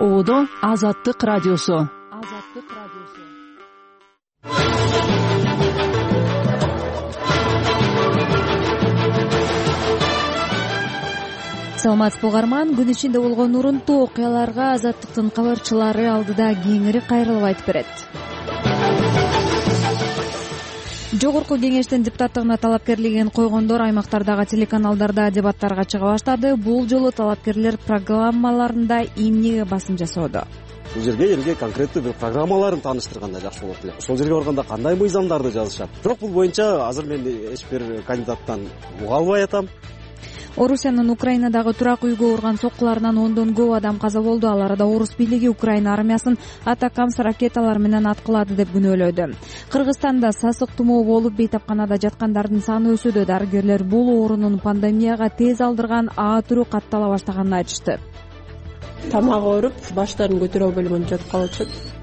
Оодо Азаттык радиосу. Саламатсызбы угарман, күн ичинде болгон урунтуу окуяларга Азаттыктын кабарчылары алдыда кеңири кайрылып айтып берет. Жогорку кеңештин депутаттыгына талапкерлигин койгондор аймактардагы телеканалдарда дебаттарга чыга баштады. Бул жолу талапкерлер программаларында эмнеге басым жасоодо? Бул жерге элге конкреттүү бир программаларын тааныштырганда жакшы болот эле. Ошол жерге барганда кандай мыйзамдарды жазышат? Бирок бул боюнча азыр мен эч бир кандидаттан уга албай атам. Орусиянын Украинадагы турак үйгө урган соккуларынан ондон көп адам каза болду. Ал арада орус бийлиги Украина армиясын атакамс ракеталар менен аткылады деп күнөөлөдү. Кыргызстанда сасык тумоо болуп бейтапканада жаткандардын саны өсүүдө. Дарыгерлер бул оорунун пандемияга тез алдырган А түрү каттала баштаганын айтышты. Тамак ооруп, баштарын көтөрө албай эле жатып калышат.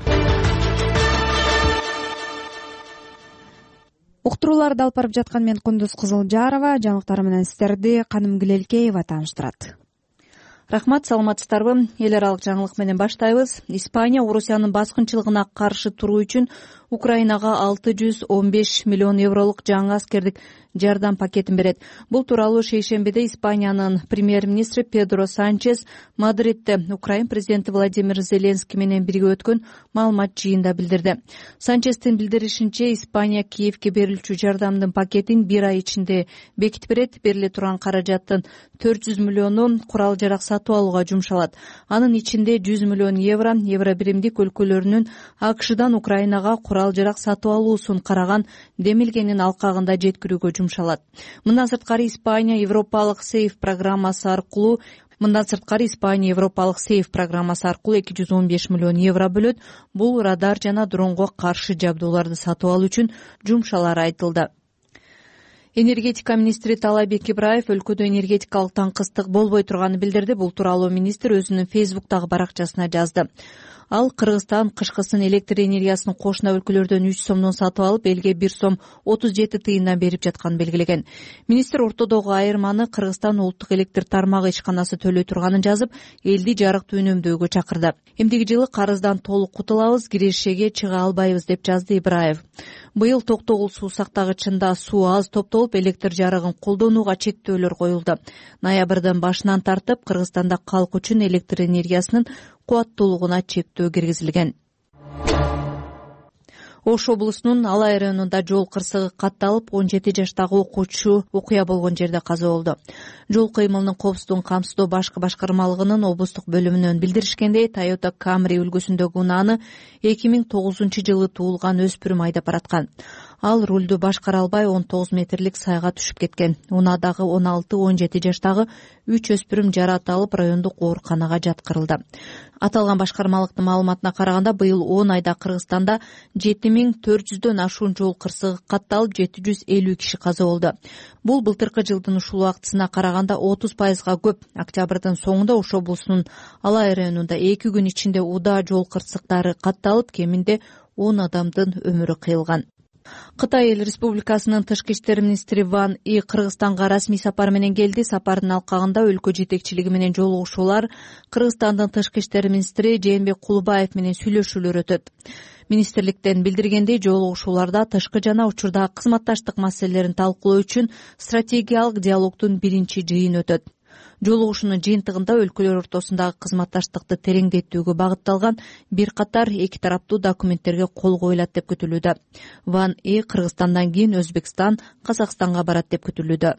Уктурууларды алып барып жаткан мен Кундуз Кызылжарова. Жаңылыктар менен сиздерди Каным Гилелкеева тааныштырат. Рахмат, саламатсыздарбы? Эл аралык жаңылык менен баштайбыз. Испания Орусиянын баскынчылыгына каршы туруу үчүн Украинага 615 миллион евролук жаңы аскердик жардам пакетин берет. Бул тууралуу шейшембиде Испаниянын премьер-министри Педро Санчес Мадридде Украин президенти Владимир Зеленский менен бирге өткөн маалымат жыйында билдирди. Санчестин билдиришинче, Испания Киевке берилчү жардамдын пакетин бир ай ичинде бекитип берет. Бериле турган каражаттын 400 миллиону курал жарак сатып алууга жумшалат. Анын ичинде 100 миллион евро Евробиримдик өлкөлөрүнүн АКШдан Украинага курал жарак сатып алуусун караган демилгенин алкагында жеткирүүгө жумшалат. Мындан сырткары Испания Европалык сейф программасы аркылуу 215 миллион евро бөлөт. Бул радар жана дронго каршы жабдууларды сатып алуу үчүн жумшалары айтылды. Энергетика министри Талайбек Ибраев өлкөдө энергетикалык таңкыстык болбой турганын билдирди. Бул тууралуу министр өзүнүн Фейсбуктагы баракчасына жазды. Ал Кыргызстан кышкысын электр энергиясын кошуна өлкөлөрдөн 3 сомдон сатып алып, элге 1 сом 37 тыйындан берип жатканын белгилеген. Министр ортодогу айырманы Кыргызстан улуттук электр тармагы ишканасы төлөй турганын жазып, элди жарыкты үнөмдөөгө чакырды. Эмдиги жылы карыздан толук кутулабыз, кирешеге чыга албайбыз деп жазды Ибраев. Быйыл Токтогул суу сактагычында суу аз топтолуп, электр жарыгын колдонууга чектөөлөр коюлду. Ноябрдын башынан тартып Кыргызстанда калк үчүн электр энергиясынын кубаттуулугуна чектөө киргизилген. Ош облусунун Алай районунда жол кырсыгы катталып, 17 жаштагы окуучу окуя болгон жерде каза болду. Жол кыймылынын коопсуздугун камсыздоо башкы башкармалыгынын облустук бөлүмүнөн билдиришкендей, Toyota Camry үлгүсүндөгү унааны 2009-жылы туулган өспүрүм айдап бараткан. Ал рулду башкара албай 19 метрлик сайга түшүп кеткен. Унаадагы 16-17 жаштагы 3 өспүрүм жараат алып, райондук ооруканага жаткырылды. Аталган башкармалыктын маалыматына караганда, быйыл 10 айда Кыргызстанда 7400дөн ашуун жол кырсыгы катталып, 750 киши каза болду. Бул былтыркы жылдын ушул убактысына караганда 30%га көп. Октябрдын соңунда Ош облусунун Алай районунда 2 күн ичинде удаа жол кырсыктары катталып, кеминде 10 адамдын өмүрү кыйылган. Кытай Эл Республикасынын тышкы иштер министри Ван И Кыргызстанга расмий сапар менен келди. Сапардын алкагында өлкө жетекчилиги менен жолугушуулар, Кыргызстандын тышкы иштер министри Жээнбек Кулубаев менен сүйлөшүүлөр өтөт. Министрликтен билдиргендей, жолугушууларда тышкы жана учурдагы кызматташтык маселелерин талкуулоо үчүн стратегиялык диалогдун биринчи жыйыны өтөт. Жолугушуунун жыйынтыгында өлкөлөр ортосундагы кызматташтыкты тереңдетүүгө багытталган бир катар эки тараптуу документтерге кол коюлат деп күтүлүүдө. Ван И Кыргызстандан кийин Өзбекстан, Казакстанга барат деп күтүлүүдө.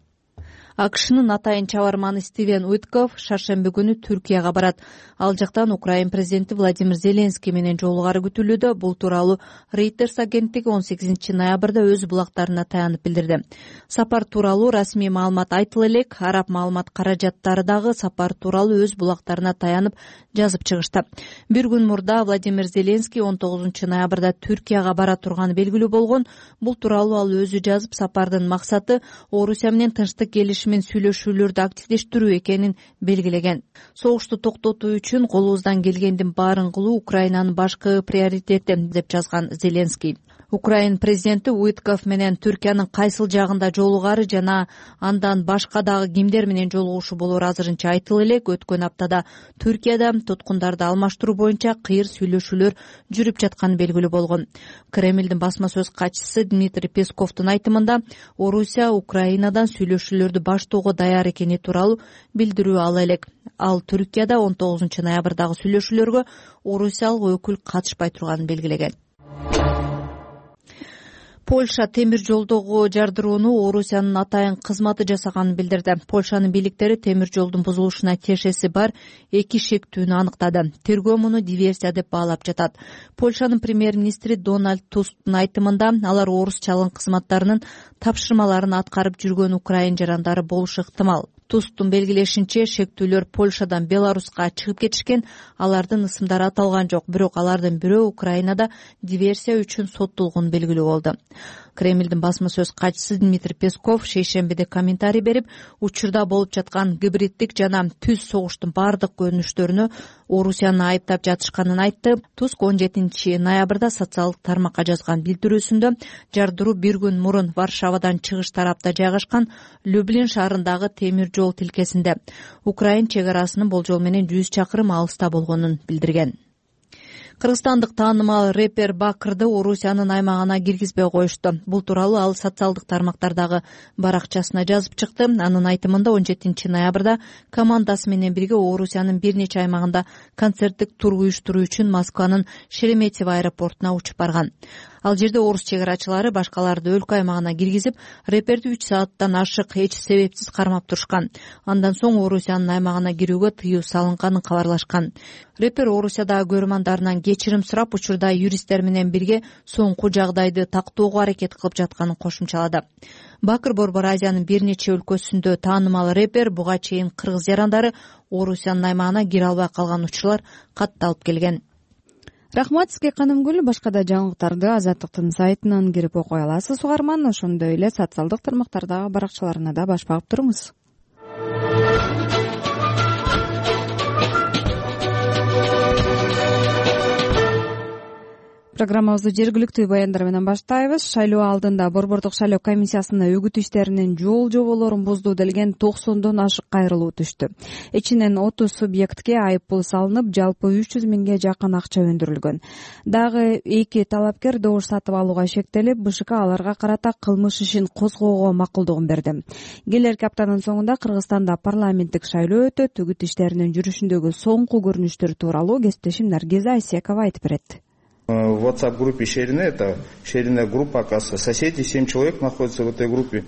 АКШнын атайын чабарманы Стивен Уитков шаршемби күнү Түркияга барат. Ал жактан Украин президенти Владимир Зеленский менен жолугары күтүлүүдө. Бул тууралуу Reuters агенттиги 18 ноябрда өз булактарына таянып билдирди. Сапар тууралуу расмий маалымат айтыла элек, араб маалымат каражаттары дагы сапар тууралуу өз булактарына таянып жазып чыгышты. Бир күн мурда Владимир Зеленский 19 ноябрда Түркияга бара турганы белгилүү болгон. Бул тууралуу ал өзү жазып, сапардын максаты Орусия менен тынчтык келишимин сүйлөшүүлөрдү активдештирүү экенин белгилеген. Согушту токтотуу үчүн колубуздан келгендин баарын кылуу Украинанын башкы приоритети деп жазган Зеленский. Украин президенти Уитков менен Түркиянын кайсыл жагында жолугары жана андан башка дагы кимдер менен жолугушу болору азырынча айтыла элек. Өткөн аптада Түркияда туткундарды алмаштыруу боюнча кыйыр сүйлөшүүлөр жүрүп жатканы белгилүү болгон. Кремлдин басма сөз катчысы Дмитрий Песковдун айтымында Орусия Украинадан сүйлөшүүлөрдү баштоого даяр экени тууралуу билдирүү ала элек. Ал Түркияда 19 ноябрдагы сүйлөшүүлөргө орусиялык өкүл катышпай турганын белгилеген. Польша темир жолдогу жардырууну Орусиянын атайын кызматы жасаганын билдирди. Польшанын бийликтери темир жолдун бузулушуна тиешеси бар 2 шектүүнү аныктады. Тергөө муну диверсия деп баалап жатат. Польшанын премьер-министри Дональд Тусктун айтымында алар орусчалык кызматтарынын тапшырмаларын аткарып жүргөн украин жарандары болушу ыктымал. Тусктун белгилешинче, шектүүлөр Польшадан Беларуска чыгып кетишкен, алардын ысымдары аталган жок, бирок алардын бирөө Украинада диверсия үчүн соттолгону белгилүү болду. Кремлдин басма сөз катчысы Дмитрий Песков шейшембиде комментарий берип, учурда болуп жаткан гибриддик жана түз согуштун бардык көрүнүштөрүнө Орусияны айыптап жатышканын айтты. Туск 17 ноябрда социалдык тармакка жазган билдирүүсүндө жардыруу бир күн мурун Варшавадан чыгыш тарапта жайгашкан Люблин шаарындагы темир жол тилкесинде Украин чек арасынын болжол менен 100 чакырым алыста болгонун билдирген. Кыргызстандык таанымал рэпер Бакырды Орусиянын аймагына киргизбей коюшту. Бул тууралуу ал социалдык тармактардагы баракчасына жазып чыкты. Анын айтымында 17 ноябрда командасы менен бирге Орусиянын бир нече аймагында концерттик тур уюштуруу үчүн Москванын Шереметьево аэропортуна учуп барган. Ал жерде орус чек арачылары башкаларды өлкө аймагына киргизип, рэперди 3 сааттан ашык эч себепсиз кармап турушкан. Андан соң Орусиянын аймагына кирүүгө тыюу салынганын кабарлашкан. Рэпер Орусиядагы көрмандарынан кечирим сурап, учурда юристтер менен бирге соңку жагдайды тактоого аракет кылып жатканын кошумчалады. Бакыр Борбор Азиянын бир нече өлкөсүндө таанымал рэпер буга чейин кыргыз жарандары Орусиянын аймагына кире албай калган учурлар катталып келген. Рахмат сизге Канымгүл. Башка да жаңылыктарды Азаттыктын сайтынан кирип окуй аласыз угарман. Ошондой эле социалдык тармактардагы баракчаларына да баш багып туруңуз. Программабызды жергиликтүү баяндар менен баштайбыз. Шайлоо алдында Борбордук шайлоо комиссиясына үгүт иштеринин жол жоболорун бузду делген 90дон ашык кайрылуу түштү. Ичинен 30 субъектке айыппул салынып, жалпы 300 миңге жакын акча өндүрүлгөн. Дагы 2 талапкер добуш сатып алууга шектелип, БШК аларга карата кылмыш ишин козгоого макулдугун берди. Келерки аптанын соңунда Кыргызстанда парламенттик шайлоо өтөт. Үгүт иштеринин жүрүшүндөгү соңку көрүнүштөр тууралуу кесиптешим Наргиза Айсекова айтып берет. В WhatsApp-группе Шерине, это Шерине группа, оказывается, соседи, 7 человек находятся в этой группе.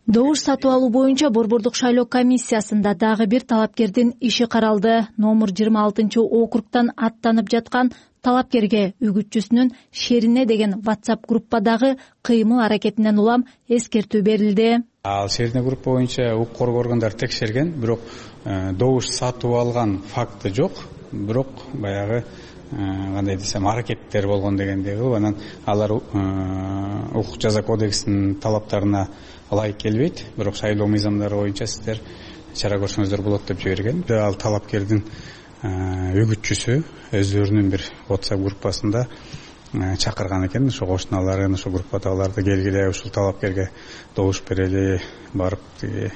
Добуш сатып алуу боюнча Борбордук шайлоо комиссиясында дагы бир талапкердин иши каралды. Номер 26-округтан аттанып жаткан талапкерге үгүтчүсүнүн Шерине деген WhatsApp группадагы кыймыл аракетинен улам эскертүү берилди. Ал Шерине группа боюнча укук коргоо органдары текшерген, бирок добуш сатып алган факты жок. Бирок баягы кандай десем аракеттер болгон дегендей кылып, анан алар укук жаза кодексинин талаптарына ылайык келбейт, бирок шайлоо мыйзамдары боюнча сиздер чара көрсөңүздөр болот деп жиберген. Ал талапкердин үгүтчүсү өздөрүнүн бир WhatsApp группасында чакырган экен, ошо кошуналарын ошо группадагыларды келгиле, ушул талапкерге добуш берели, барып тиги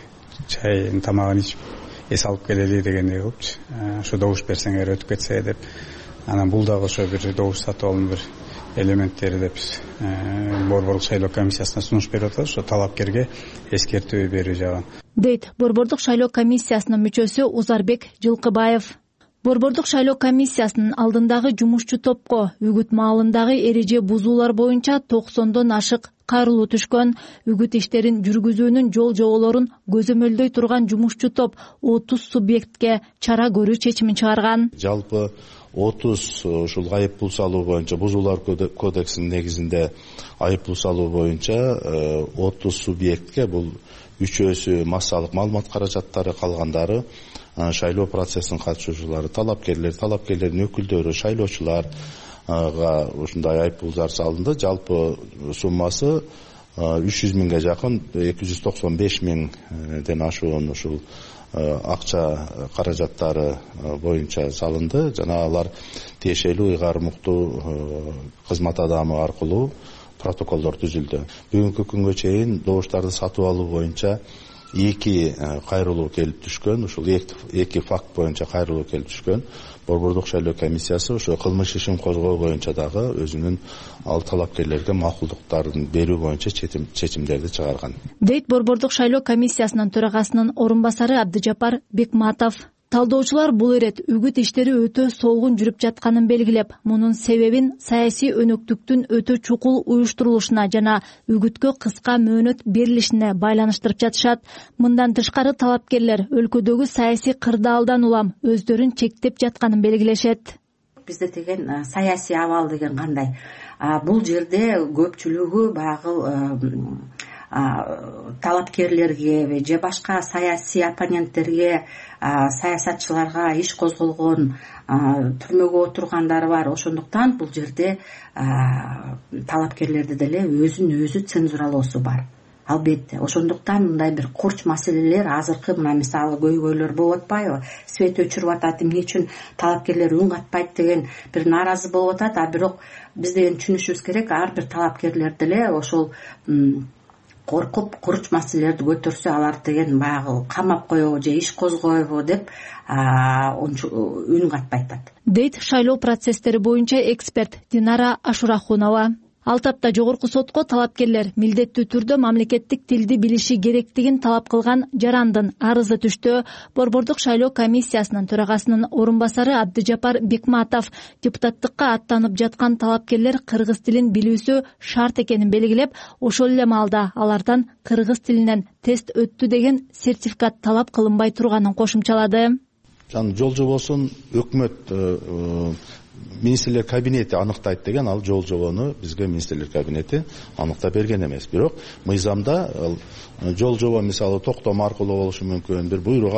чай тамагын ичип эс алып келели дегендей кылыпчы. Ошо добуш берсеңер өтүп кетсе деп. Анан бул дагы ошо бир добуш сатып алуунун бир элементтери деп Борбордук шайлоо комиссиясына сунуш берип атабыз. Ошо талапкерге эскертүү берүү жагын дейт Борбордук шайлоо комиссиясынын мүчөсү Узарбек Жылкыбаев. Борбордук шайлоо комиссиясынын алдындагы жумушчу топко үгүт маалындагы эреже бузуулар боюнча 90дон ашык кайрылуу түшкөн. Үгүт иштерин жүргүзүүнүн жол жоболорун көзөмөлдөй турган жумушчу топ 30 субъектке чара көрүү чечимин чыгарган. Жалпы 30 ушул айыппул салуу боюнча, бузуулар кодексинин негизинде айыппул салуу боюнча 30 субъектке, бул үчөөсү массалык маалымат каражаттары, калгандары шайлоо процессинин катышуучулары, талапкерлердин өкүлдөрү, шайлоочуларга ушундай айыппулдар салынды. Жалпы суммасы 300 миңге жакын, 295 миңден ашуун ушул акча каражаттары боюнча салынды. Жана алар тиешелүү ыйгарым уктуу кызмат адамы аркылуу протоколдор түзүлдү. Бүгүнкү күнгө чейин добуштарды сатып алуу боюнча 2 кайрылуу келип түшкөн. Ушул 2 факт боюнча кайрылуу келип түшкөн. Борбордук шайлоо комиссиясы ошо кылмыш ишин козгоо боюнча дагы өзүнүн ал талапкерлерге макулдуктарын берүү боюнча чечимдерди чыгарган, дейт Борбордук шайлоо комиссиясынын төрагасынын орун басары Абдыжапар Бекматов. Талдоочулар бул ирет үгүт иштери өтө солгун жүрүп жатканын белгилеп, мунун себебин саясий өнөктүктүн өтө чукул уюштурулушуна жана үгүткө кыска мөөнөт берилишине байланыштырып жатышат. Мындан тышкары талапкерлер өлкөдөгү саясий кырдаалдан улам өздөрүн чектеп жатканын белгилешет. Бизде деген саясий абал деген кандай? Бул жерде көпчүлүгү баягы талапкерлерге же башка саясий оппоненттерге, саясатчыларга иш козголгон, түрмөгө отургандар бар. Ошондуктан бул жерде талапкерлерди деле өзүн өзү цензуралоосу бар. Албетте, ошондуктан мындай бир курч маселелер азыркы мына мисалы көйгөйлөр болуп атпайбы? Свет өчүрүп атат, эмне үчүн талапкерлер үн катпайт деген бир нааразы болуп атат. Бирок биз деген түшүнүшүбүз керек, ар бир талапкерлер деле ошол коркуп курч маселелерди көтөрсө алар деген баягы камап коебу же иш козгойбу деп үн катпайтат, дейт шайлоо процесстери боюнча эксперт Динара Ашурахунова. Ал тапта жогорку сотко талапкерлер милдеттүү түрдө мамлекеттик тилди билиши керектигин талап кылган жарандын арызы түштү. Борбордук шайлоо комиссиясынын төрагасынын орун басары Абдыжапар Бекматов депутаттыкка аттанып жаткан талапкерлер кыргыз тилин билүүсү шарт экенин белгилеп, ошол эле маалда алардан кыргыз тилинен тест өттү деген сертификат талап кылынбай турганын кошумчалады. Жол жобосун өкмөт министрлер кабинети аныктайт деген, ал жол жобону бизге министрлер кабинети аныктап берген эмес. Бирок мыйзамда жол жобо мисалы токтом аркылуу болушу мүмкүн, бир буйрук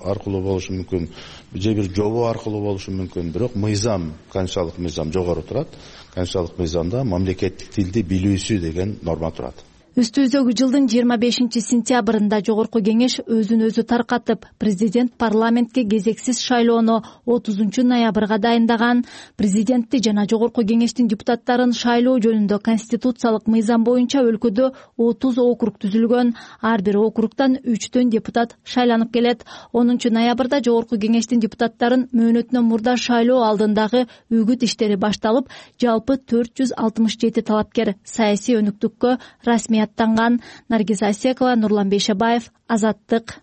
аркылуу болушу мүмкүн, же бир жобо аркылуу болушу мүмкүн. Бирок мыйзам, конституциялык мыйзам жогору турат. Конституциялык мыйзамда мамлекеттик тилди билүүсү деген норма турат. Үстүбүздөгү жылдын 25-сентябрында жогорку кеңеш өзүн өзү таркатып, президент парламентке кезексиз шайлоону 30-ноябрга дайындаган. Президентти жана жогорку кеңештин депутаттарын шайлоо жөнүндө конституциялык мыйзам боюнча өлкөдө 30 округ түзүлгөн. Ар бир округтан 3 депутат шайланып келет. 10-ноябрда жогорку кеңештин депутаттарын мөөнөтүнөн мурда шайлоо алдындагы үгүт иштери башталып, жалпы 467 талапкер саясий өнүктүккө расмий аттанган. Наргиз Асекова, Нурлан Бейшебаев, Азаттык.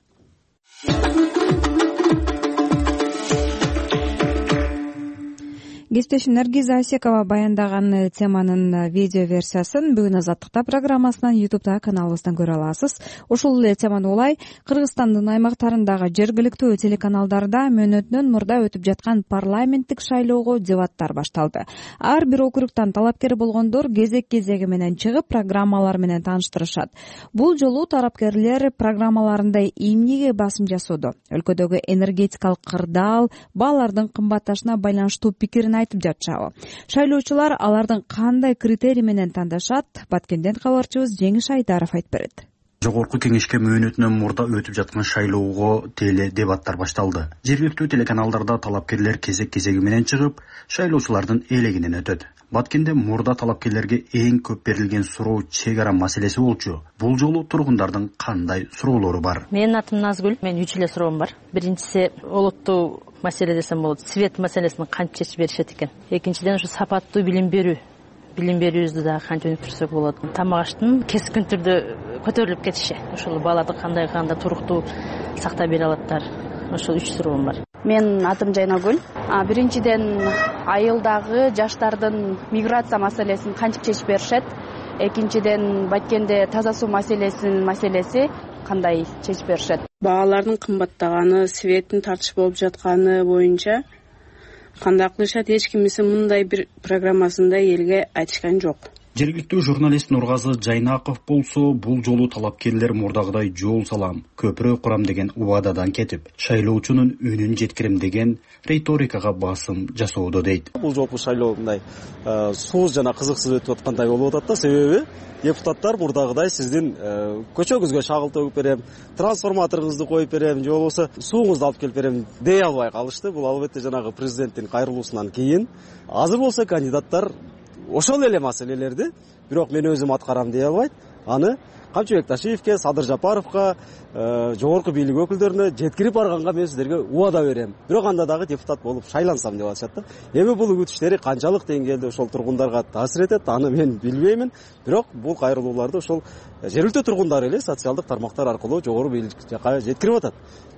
Кесиптешим Наргиз Асекова баяндаган теманын видео версиясын бүгүн Азаттыкта программасынан YouTube каналыбыздан көрө аласыз. Ошол эле теманы улай Кыргызстандын аймактарындагы жергиликтүү телеканалдарда мөөнөтүнөн мурда өтүп жаткан парламенттик шайлоого дебаттар башталды. Ар бир округтан талапкер болгондор кезек-кезеги менен чыгып программалар менен тааныштырышат. Бул жолу талапкерлер программаларында эмнеге басым жасоодо? Өлкөдөгү энергетикалык кырдаал, баалардын кымбатташына байланыштуу пикирин айтып жатышабы? Шайлоочулар алардын кандай критерий менен тандашат? Баткенден кабарчыбыз Жеңиш Айдаров айтып берет. Жогорку кеңешке мөөнөтүнөн мурда өтүп жаткан шайлоого теле дебаттар башталды. Жергиликтүү телеканалдарда талапкерлер кезек-кезеги менен чыгып, шайлоочулардын элегинен өтөт. Баткенде мурда талапкерлерге эң көп берилген суроо чек ара маселеси болчу. Бул жолу тургундардын кандай суроолору бар? Менин атым Назгүл. Мен 3 эле суроом бар. Биринчиси олуттуу маселе десем болот. Свет маселесин кантип чечип беришет экен. Экинчиден ушу сапаттуу билим берүүбүздү дагы кантип өнүктүрсөк болот. Тамак аштын кескин түрдө көтөрүлүп кетиши. Ошол баларды кандай туруктуу сактап бере алаттар. Ошол 3 суроом бар. Мен атым Жайнагүл. Биринчиден айылдагы жаштардын миграция маселесин кантип чечип беришет? Экинчиден Баткенде таза суу маселеси кандай чечип беришет? Баалардын кымбаттаганы, светтин тартыш болуп жатканы боюнча кандай кылышат? Эч кимиси мындай бир программасында элге айтышкан жок. Жергиликтүү журналист Нургазы Жайнаков болсо, бул жолу талапкерлер мурдагыдай жол салам, көпүрө курам деген убададан кетип, шайлоочунун үнүн жеткирем деген риторикага басым жасоодо дейт. Бул жолку шайлоо мындай сууз жана кызыксыз өтүп аткандай болуп атат да, себеби депутаттар мурдагыдай сиздин көчөгүзгө шагыл төгүп берем, трансформаторуңузду коюп берем, же болбосо сууңузду алып келип берем дей албай калышты. Бул албетте жанагы президенттин кайрылуусунан кийин. Азыр болсо кандидаттар ошол эле маселелерди бирок мен өзүм аткарам дей албайт, аны Камчыбек Ташиевке, Садыр Жапаровко, жогорку бийлик өкүлдөрүнө жеткирип барганга мен сиздерге убада берем. Бирок анда дагы депутат болуп шайлансам деп атышат да. Эми бул үгүт иштери канчалык деңгээлде ошол тургундарга таасир этет, аны мен билбеймин. Бирок бул кайрылууларды ошол жергиликтүү тургундар эле социалдык тармактар аркылуу жогору бийлик жака жеткирип атат.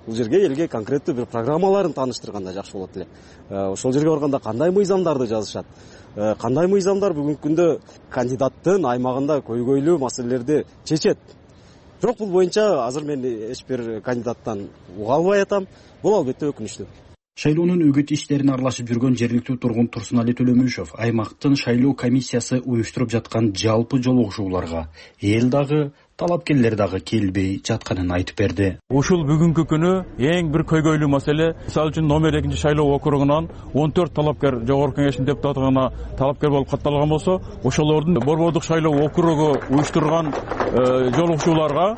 Бул жерге элге конкреттүү бир программаларын тааныштырганда жакшы болот эле. Ошол жерге барганда кандай мыйзамдарды жазышат, кандай мыйзамдар бүгүнкү күндө кандидаттын аймагында көйгөйлүү маселелерди чечет. Бирок бул боюнча азыр мен эч бир кандидаттан уга албай атам. Бул албетте өкүнүчтүү. Шайлоонун үгүт иштерине аралашып жүргөн жергиликтүү тургун Турсунали Төлөмүшев аймактын шайлоо комиссиясы уюштуруп жаткан жалпы жолугушууларга эл дагы талапкерлер дагы келбей жатканын айтып берди. Ушул бүгүнкү күнү эң бир көйгөйлүү маселе. Мисалы үчүн номер 2 шайлоо округунан 14 талапкер жогорку кеңештин депутаттыгына талапкер болуп катталган болсо, ошолордун Борбордук шайлоо округу уюштурган жолугушууларга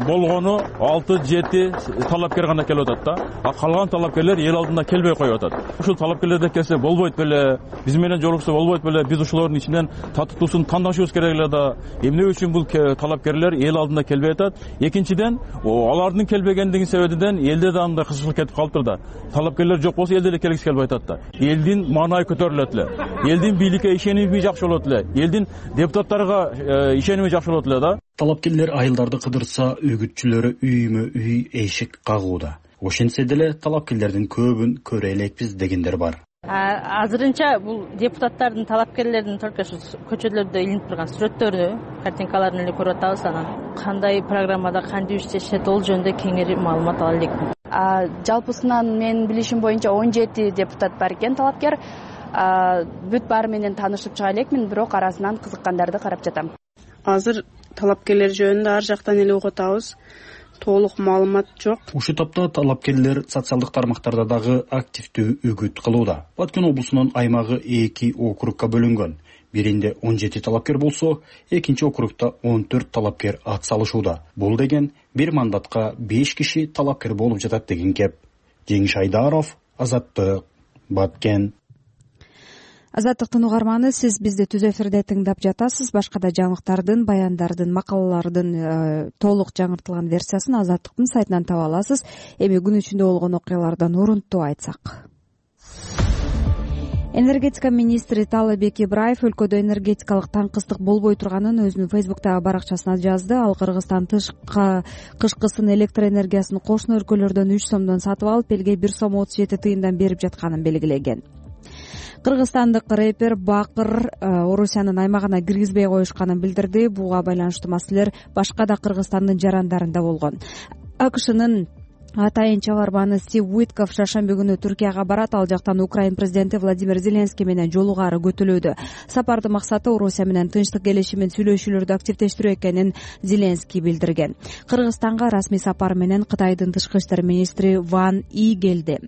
болгону 6-7 талапкер гана келип атат да. А калган талапкерлер эл алдына келбей коюп атат. Ушул талапкерлерде келсе болбойт беле, биз менен жолукса болбойт беле, биз ушулордун ичинен татыктуусун тандашыбыз керек эле да. Эмне үчүн бул талапкерлер эл алдына келбей атат? Экинчиден, алардын келбегендигинин себебинен элде да андай кызыкчылык кетип калыптыр да. Талапкерлер жок болсо элде эле келгиси келбей атат да. Элдин маанайы көтөрүлөт эле. Элдин бийликке ишеними жакшы болот эле. Элдин депутаттарга ишеними жакшы болот эле да. Талапкерлер айылдарды кыдырса, үгүтчүлөрү үймө үй эшик кагууда. Ошентсе деле талапкерлердин көбүн көрө элекпиз дегендер бар. Азырынча бул депутаттардын, талапкерлердин только көчөлөрдө илинип турган сүрөттөрү, картинкаларын эле көрүп атабыз. Анан кандай программада кантип иштешет, ол жөнүндө кеңири маалымат ала элекмин. Жалпысынан менин билишим боюнча 17 депутат бар экен талапкер. Бүт баары менен таанышып чыга элекмин, бирок арасынан кызыккандарды карап жатам. Азыр талапкерлер жөнүндө ар жактан эле угуп атабыз. Толук маалымат жок. Ушул тапта талапкерлер социалдык тармактарда дагы активдүү үгүт кылууда. Баткен облусунун аймагы 2 округка бөлүнгөн. Биринде 17 талапкер болсо, экинчи округта 14 талапкер ат салышууда. Бул деген бир мандатка 5 киши талапкер болуп жатат деген кеп. Жеңиш Айдаров, Азаттык, Баткен. Азаттыктын угарманы, сиз бизди түз эфирде тыңдап жатасыз. Башка да жаңылыктардын, баяндардын, макалалардын толук жаңыртылган версиясын Азаттыктын сайтынан таба аласыз. Эми күн ичинде болгон окуялардан урунтуу айтсак. Энергетика министри Таалайбек Ибраев өлкөдө энергетикалык таңкыстык болбой турганын өзүнүн Фейсбуктагы баракчасына жазды. Ал Кыргызстан кышкысын электр энергиясын кошуна өлкөлөрдөн 3 сомдон сатып алып, элге 1 сом 37 тыйындан берип жатканын белгилеген. Кыргызстандык рэпер Бакыр Орусиянын аймагына киргизбей коюшканын билдирди. Буга байланыштуу маселелер башка да Кыргызстандын жарандарында болгон. АКШнын атайын чабарманы Стив Уитков шаршемби күнү Түркияга барат. Ал жактан Украин президенти Владимир Зеленский менен жолугаары көтөлүүдө. Сапардын максаты Орусия менен тынчтык келишимин сүйлөшүүлөрдү активдештирүү экенин Зеленский билдирген. Кыргызстанга расмий сапар менен Кытайдын тышкы иштер министри Ван И келди.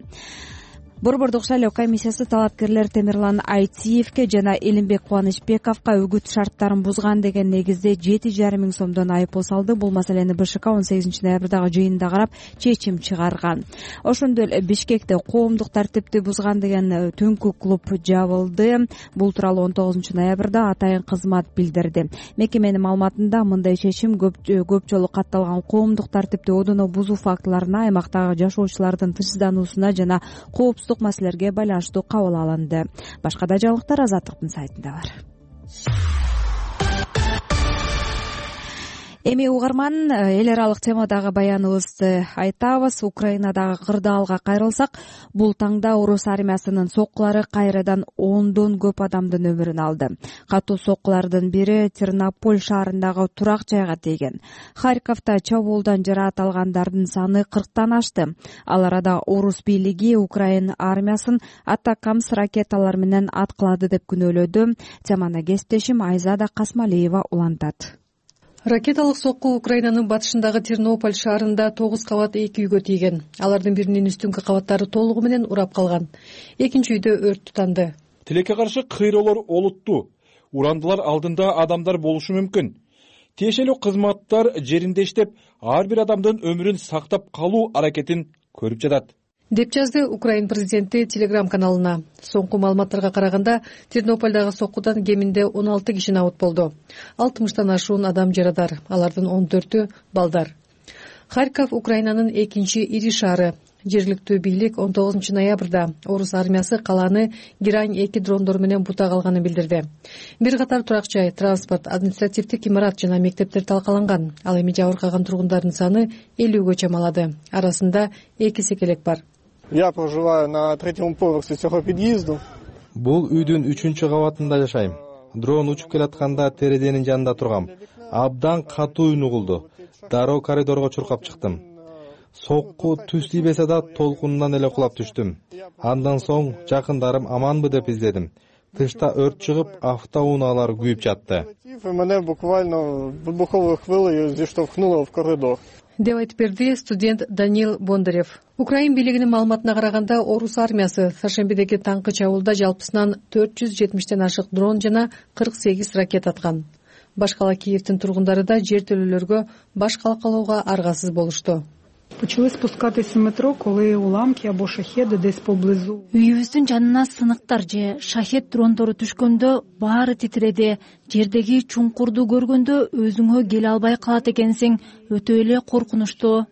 Борбордук шайлоо комиссиясы талапкерлер Темирлан Айтиевке жана Элимбек Кубанычбековго үгүт шарттарын бузган деген негизде 7,5 миң сомдон айыппул салды. Бул маселени БШК 18 ноябрдагы жыйынында карап чечим чыгарган. Ошондой эле Бишкекте коомдук тартипти бузган деген түнкү клуб жабылды. Бул тууралуу 19 ноябрда атайын кызмат билдирди. Мекеменин маалыматында мындай чечим көп жолу катталган коомдук тартипти одоно бузуу фактыларына, аймактагы жашоочулардын тынчсыздануусуна жана коопсуздук маселелерге байланыштуу кабыл алынды. Башка да жаңылыктар Азаттыктын сайтында бар. Эми угарман, эл аралык темадагы баяныбызды айтабыз. Украинадагы кырдаалга кайрылсак, бул таңда орус армиясынын соккулары кайрадан 10дон көп адамдын өмүрүн алды. Катуу соккулардын бири Тернополь шаарындагы турак жайга тийген. Харьковто чабуулдан жараат алгандардын саны 40тан ашты. Ал арада орус бийлиги Украин армиясын Атакамс ракеталар менен аткылады деп күнөөлөдү. Теманы кесиптешим Айзада Касмалиева улантат. Ракеталык сокку Украинанын батышындагы Тернополь шаарында 9 кабат 2 үйгө тийген. Алардын биринин үстүнкү кабаттары толугу менен урап калган. Экинчи үйдө өрт тутанды. Тилекке каршы кыйроолор олуттуу. Урандылар алдында адамдар болушу мүмкүн. Тиешелүү кызматтар жеринде иштеп, ар бир адамдын өмүрүн сактап калуу аракетин көрүп жатат. деп жазды Украин президенти Telegram каналына. Соңку маалыматтарга караганда, Тернополдагы соккудан кеминде 16 киши набыт болду. 60тан ашуун адам жарадар, алардын 14-ү балдар. Харьков Украинанын экинчи ири шаары. Жергиликтүү бийлик 19 ноябрда орус армиясы каланы Герань-2 дрондору менен бутак алганын билдирди. Бир катар турак жай, транспорт, административдик имарат жана мектептер талкаланган. Ал эми жабыркаган тургундардын саны 50-гө чамалады. Арасында 2 секелек бар. Я проживаю на 3-м поверхе цього під'їзду. Бул үйдүн 3-чү кабатында жашайм. Дрон учуп келатканда терезенин жанында тургам. Абдан катуу үн угулду. Дароо коридорго чуркап чыктым. Сокку түз тийбесе да толкунунан эле кулап түштүм. Андан соң жакындарым аманбы деп издедим. Тышта өрт чыгып, автоунаалар күйүп жатты. Мене буквально вибуховою хвилею зіштовхнуло в коридор. деп айтып берди студент Даниил Бондарев. Украин бийлигинин маалыматына караганда, орус армиясы Саршембидеги таңкы чабуулда жалпысынан 470тен ашык дрон жана 48 ракета аткан. Башкала Киевдин тургундары да жер төлөөлөргө баш калкалоого аргасыз болушту. Почали спускатися метро, коли уламки або шахеди десь поблизу. Үйүбүздүн жанына сыныктар же шахет дрондору түшкөндө баары титиреди. Жердеги чуңкурду көргөндө өзүңө келе албай калат экенсиң. Өтө эле коркунучтуу.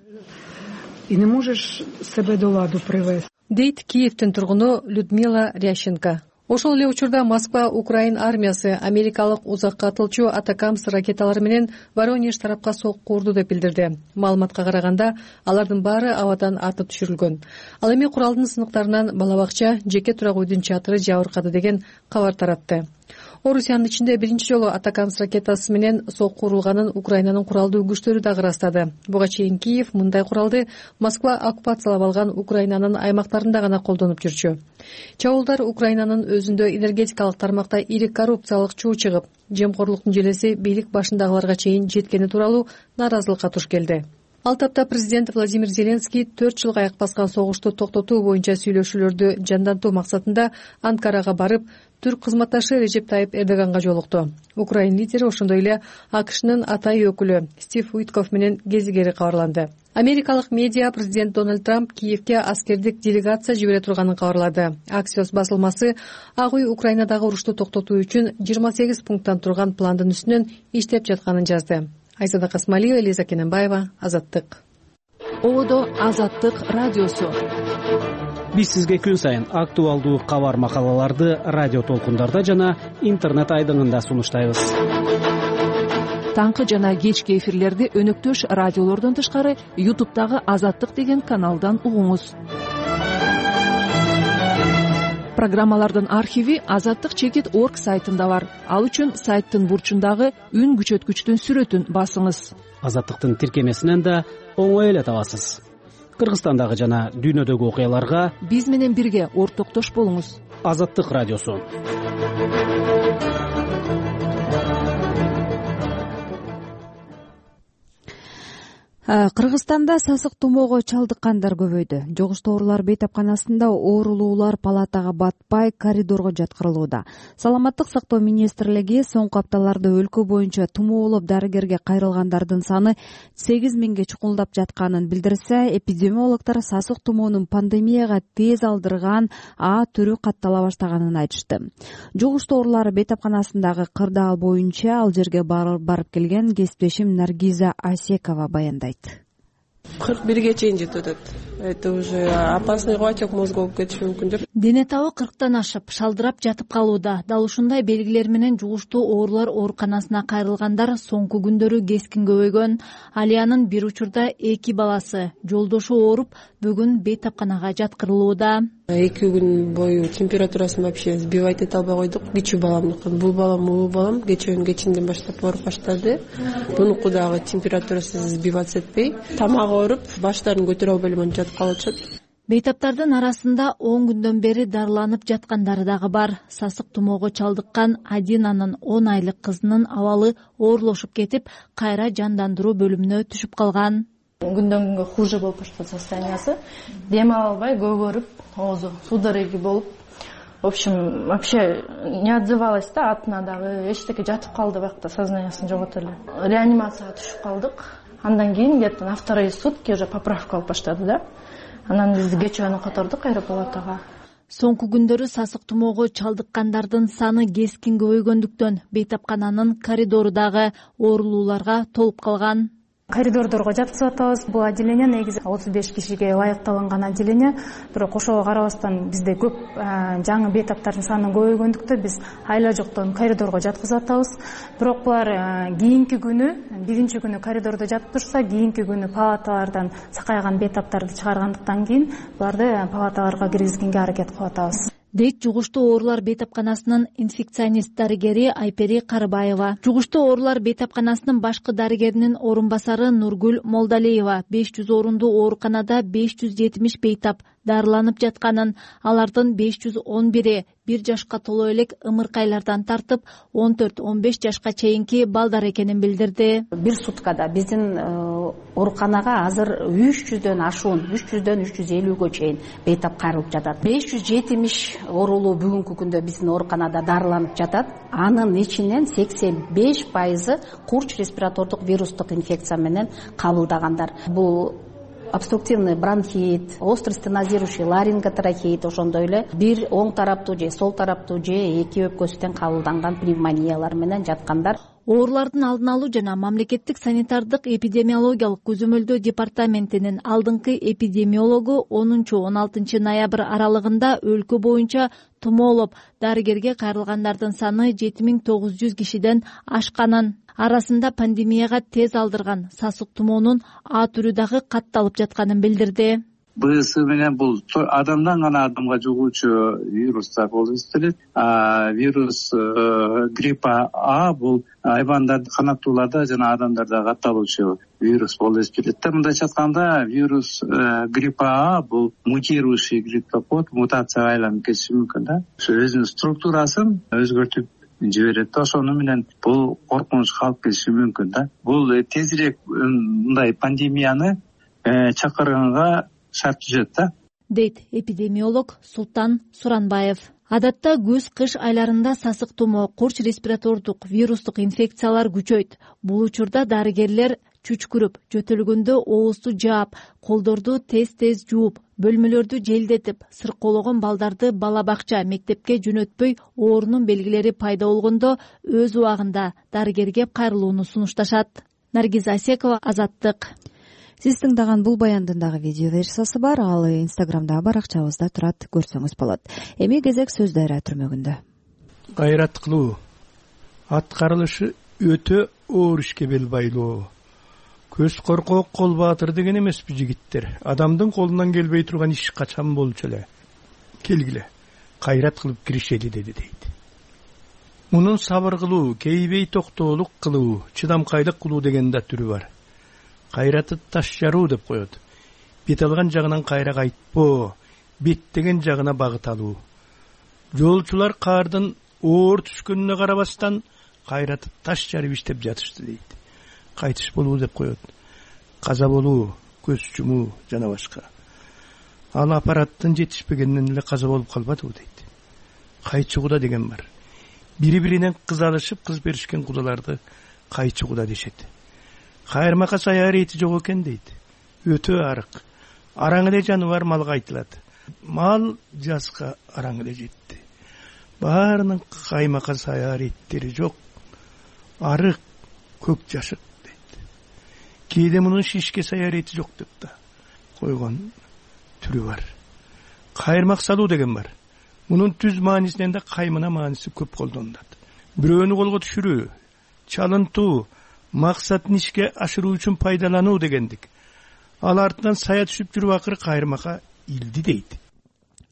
И не можеш себе до ладу привести. Дейт Киевдин тургуну Людмила Рященко. Ошол эле учурда Москва Украин армиясы америкалык узакка атылчу Атакамс ракеталары менен Воронеж тарапка сокку урду деп билдирди. Маалыматка караганда, алардын баары абадан атып түшүрүлгөн. Ал эми куралдын сыныктарынан балабакча, жеке турак үйдүн чатыры жабыркады деген кабар таратты. Орусиянын ичинде биринчи жолу Атакамс ракетасы менен сокку урулганын Украинанын куралдуу күчтөрү дагы ырастады. Буга чейин Киев мындай куралды Москва оккупациялап алган Украинанын аймактарында гана колдонуп жүрчү. Чабуулдар Украинанын өзүндө энергетикалык тармакта ири коррупциялык чуу чыгып, жемкорлуктун желеси бийлик башындагыларга чейин жеткени тууралуу наразылыкка туш келди. Ал тапта президент Владимир Зеленский 4 жылга аяк баскан согушту токтотуу боюнча сүйлөшүүлөрдү жандантуу максатында Анкарага барып, түрк кызматташы Режеп Тайып Эрдоганга жолукту. Украин лидери ошондой эле АКШнын атайын өкүлү Стив Уитков менен кезигери кабарланды. Америкалык медиа президент Дональд Трамп Киевге аскердик делегация жибере турганын кабарлады. Axios басылмасы Ак үй Украинадагы урушту токтотуу үчүн 28 пункттан турган пландын үстүнөн иштеп жатканын жазды. Айзада Касмалиева, Элиза Кененбаева, Азаттык. Одо Азаттык радиосу. Биз сизге күн сайын актуалдуу кабар макалаларды радио толкундарда жана интернет айдыңында сунуштайбыз. Таңкы жана кечки эфирлерди өнөктөш радиолордон тышкары YouTube'дагы Азаттык деген каналдан угуңуз. Программалардын архиви azattik.org сайтында бар. Ал үчүн сайттын бурчундагы үн күчөткүчтүн сүрөтүн басыңыз. Азаттыктын тиркемесинен да оңой эле табасыз. Кыргызстандагы жана дүйнөдөгү окуяларга биз менен бирге ортоктош болуңуз. Азаттык радиосу. Кыргызстанда сасык тумоого чалдыккандар көбөйдү. Жогуштуу оорулар бейтапканасында оорулуулар палатага батпай коридорго жаткырылууда. Саламаттык сактоо министрлиги соңку апталарда өлкө боюнча тумоолоп дарыгерге кайрылгандардын саны 8000ге чукулдап жатканын билдирсе, эпидемиологдор сасык тумоонун пандемияга тез алдырган А түрү каттала баштаганын айтышты. Жогуштуу оорулар бейтапканасындагы кырдаал боюнча ал жерге барып келген кесиптешим Наргиза Асекова баяндайт. 41ге чейин жетип атат. Это уже опасный отек мозга болуп кетиши мүмкүн деп. Дене табы 40тан ашып, шалдырап жатып калууда. Дал ушундай белгилер менен жугуштуу оорулар ооруканасына кайрылгандар соңку күндөрү кескин көбөйгөн. Алиянын бир учурда 2 баласы жолдошу ооруп, бүгүн бейтапканага жаткырылууда. 2 күн бою температурасын вообще сбивать эте албай койдук. Кичүү баламдыкы, бул балам кечинден баштап ооруп баштады. Бунуку дагы температурасы сбиваться этпей, тамагы ооруп, баштарын көтөрө албай эле жатып калып атышат. Бейтаптардын арасында 10 күндөн бери дарыланып жаткандары дагы бар. Сасык тумоого чалдыккан Адинанын 10 айлык кызынын абалы оорлошуп кетип, кайра жандандыруу бөлүмүнө түшүп калган. Күндөн күнгө хуже болуп баштады состояниясы. Дем ала албай, көбөрүп, оозу судороги болуп, в общем, вообще не отзывалась да, атына дагы эчтеке жатып калды, бакта сознаниясын жоготуп эле. Реанимацияга түшүп калдык. Андан кийин где-то на вторые сутки уже поправка болуп баштады да. Анан биз кечөөнү котордук кайра палатага. Соңку күндөрү сасык тумоого чалдыккандардын саны кескин көбөйгөндүктөн бейтапкананын коридору дагы оорулууларга толуп калган. Коридордорго жаткызып атабыз. Бул отделение негизи 35 кишиге ылайыкталган отделение. Бирок ошого карабастан бизде көп жаңы бейтаптардын саны көбөйгөндүктөн биз айла жоктон коридорго жаткызып атабыз. Бирок булар кийинки күнү, биринчи күнү коридордо жатып турса, кийинки күнү палаталардан сакайган бейтаптарды чыгаргандыктан кийин буларды палаталарга киргизгенге аракет кылып атабыз, дейт жугуштуу оорулар бейтапканасынын инфекционист дарыгери Айпери Карыбаева. Жугуштуу оорулар бейтапканасынын башкы дарыгеринин орун басары Нургүл Молдалиева 500 орундуу ооруканада 570 бейтап дарыланып жатканын, алардын 511 1 жашка толо элек ымыркайлардан тартып 14-15 жашка чейинки балдар экенин билдирди. Бир суткада биздин ооруканага азыр 300дөн ашуун, 300дөн 350гө чейин бейтап кайрылып жатат. 570 оорулуу бүгүнкү күндө биздин ооруканада дарыланып жатат. Анын ичинен 85% курч респиратордук вирустук инфекция менен кабылдагандар. Бул обструктивный бронхит, острый стенозирующий ларинготрахеит, ошондой эле бир оң тараптуу же сол тараптуу же эки өпкөсүнөн кабылданган пневмониялар менен жаткандар. Оорулардын алдын алуу жана мамлекеттик санитардык эпидемиологиялык көзөмөлдөө департаментинин алдыңкы эпидемиологу 10-16 ноябрь аралыгында өлкө боюнча тумоолоп дарыгерге кайрылгандардын саны 7900 кишиден ашканын, арасында пандемияга тез алдырган сасык тумоонун А түрү дагы катталып жатканын билдирди. БС менен бул адамдан гана адамга жугуучу вирустар болуп эсептелет. Вирус гриппа А бул айбандарды, канаттууларда жана адамдарда катталуучу вирус болуп эсептелет. Мындайча айтканда, вирус гриппа А бул мутирующий гриппопод, мутацияга айланып кетиши мүмкүн да. Ошо өзүнүн структурасын өзгөртүп жиберет. Ошону менен бул коркунуч калып кетиши мүмкүн да. Бул тезирээк мындай пандемияны чакырганга шарт түзөт да, дейт эпидемиолог Султан Суранбаев. Адатта көз-кыш айларында сасык тумоо, курч респиратордук вирустук инфекциялар күчөйт. Бул учурда дарыгерлер чүчкүрүп, жөтөлгөндө оозду жаап, колдорду тез-тез жууп, бөлмөлөрдү желдетип, сыркоологон балдарды бала бакча, мектепке жөнөтпөй оорунун белгилери пайда болгондо өз убагында дарыгерге кайрылууну сунушташат. Наргиз Асекова, Азаттык. Сиз тыңдаган бул баяндын дагы видео версиясы бар, ал Инстаграмдагы баракчабызда турат, көрсөңүз болот. Эми кезек сөз дайра түрмөгүндө. Кайрат кылуу, аткарылышы өтө оор ишке бел байлоо. Көз коркок, кол баатыр деген эмеспи жигиттер. Адамдын колунан келбей турган иш качан болчу эле. Келгиле, кайрат кылып киришели деди дейт. Мунун сабыр кылуу, кейбей токтоолук кылуу, чыдамкайлык кылуу деген да түрү бар. Кайраты таш жаруу деп коет. Бет алган жагынан кайра кайтпоо, беттеген жагына багыт алуу. Жолчулар каардын оор түшкөнүнө карабастан кайраты таш жарып иштеп жатышты дейт. Кайтыш болуу деп коет. Каза болуу, көз жумуу жана башка. Ал аппараттын жетишпегенинен эле каза болуп калбадыбы дейт. Кайчы куда деген бар. Бири-биринен кыз алышып, кыз беришкен кудаларды кайчы куда дешет. Кайырмака сая рети жок экен дейт. Өтө арык. Араң эле жаныбар малга айтылат. Мал жазга араң эле жетти. Баарынын каймака сая реттери жок. Арык, көк жашык дейт. Кээде мунун шишке сая рети жок деп да койгон түрү бар. Кайырмак салуу деген бар. Мунун түз маанисинен да каймына мааниси көп колдонулат. Бирөөнү колго түшүрүү, чалынтуу, максатын ишке ашыруу үчүн пайдалануу дегендик. Ал артынан сая түшүп жүрүп акыры кайырмакка илди дейт.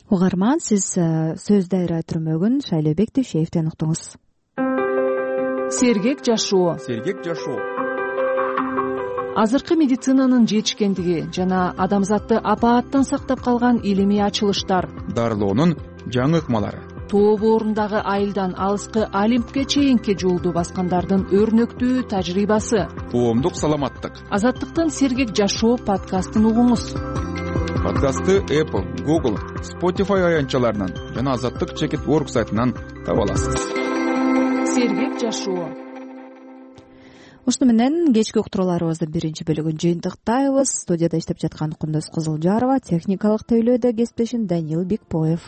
Угарман, сиз сөз дайра түрмөгүн Шайлообек Дүйшеевден уктуңуз. Сергек жашоо. Сергек жашоо. Азыркы медицинанын жетишкендиги жана адамзатты апааттан сактап калган илимий ачылыштар. Дарылоонун жаңы ыкмалары. Тоо боорундагы айылдан алыскы Олимпке чейинки жолду баскандардын өрнөктүү тажрыйбасы. Коомдук саламаттык. Азаттыктын Сергек жашоо подкастын угуңуз. Подкастты Apple, Google, Spotify аянтчаларынан жана Азаттык.org сайтынан таба аласыз. Сергек жашоо. ушуну менен кечки уктурууларыбыздын биринчи бөлүгүн жыйынтыктайбыз. Студияда иштеп жаткан Кундуз Кызылжарова, техникалык тейлөөдө кесиптешим Даниил Бекбоев.